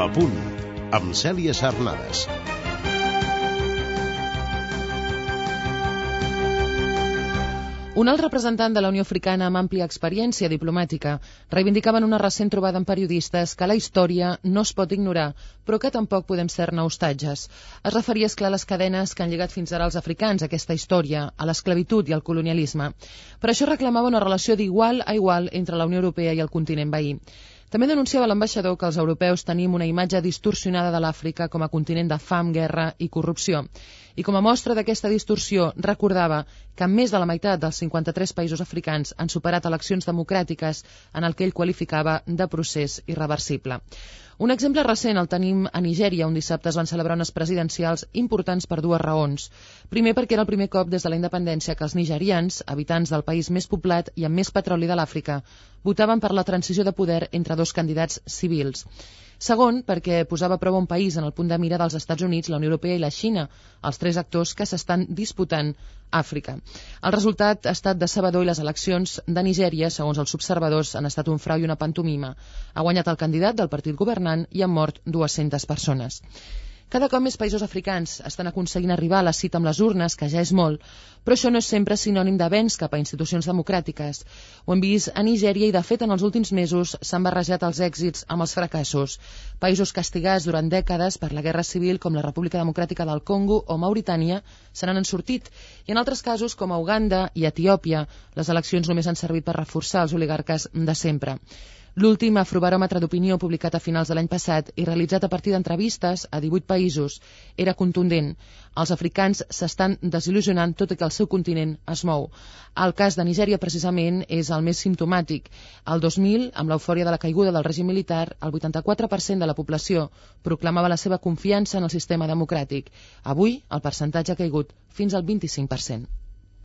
A punt, amb Cèlia Sarnades. Un alt representant de la Unió Africana amb àmplia experiència diplomàtica reivindicava en una recent trobada amb periodistes que la història no es pot ignorar, però que tampoc podem ser-ne hostatges. Es referia, esclar, a les cadenes que han lligat fins ara els africans a aquesta història, a l'esclavitud i al colonialisme. Per això reclamava una relació d'igual a igual entre la Unió Europea i el continent veí. També denunciava l'ambaixador que els europeus tenim una imatge distorsionada de l'Àfrica com a continent de fam, guerra i corrupció. I com a mostra d'aquesta distorsió, recordava que més de la meitat dels 53 països africans han superat eleccions democràtiques en el que ell qualificava de procés irreversible. Un exemple recent el tenim a Nigèria, on dissabte es van celebrar unes presidencials importants per dues raons. Primer, perquè era el primer cop des de la independència que els nigerians, habitants del país més poblat i amb més petroli de l'Àfrica, votaven per la transició de poder entre dos candidats civils. Segon, perquè posava a prova un país en el punt de mira dels Estats Units, la Unió Europea i la Xina, els tres actors que s'estan disputant Àfrica. El resultat ha estat decebedor i les eleccions de Nigèria, segons els observadors, han estat un frau i una pantomima. Ha guanyat el candidat del partit governant i han mort 200 persones. Cada cop més països africans estan aconseguint arribar a la cita amb les urnes, que ja és molt, però això no és sempre sinònim d'avenç cap a institucions democràtiques. Ho hem vist a Nigèria i, de fet, en els últims mesos s'han barrejat els èxits amb els fracassos. Països castigats durant dècades per la guerra civil, com la República Democràtica del Congo o Mauritània, se n'han sortit. I en altres casos, com a Uganda i Etiòpia, les eleccions només han servit per reforçar els oligarques de sempre. L'últim afrobaròmetre d'opinió publicat a finals de l'any passat i realitzat a partir d'entrevistes a 18 països era contundent. Els africans s'estan desil·lusionant tot i que el seu continent es mou. El cas de Nigèria, precisament, és el més simptomàtic. El 2000, amb l'eufòria de la caiguda del règim militar, el 84% de la població proclamava la seva confiança en el sistema democràtic. Avui, el percentatge ha caigut fins al 25%.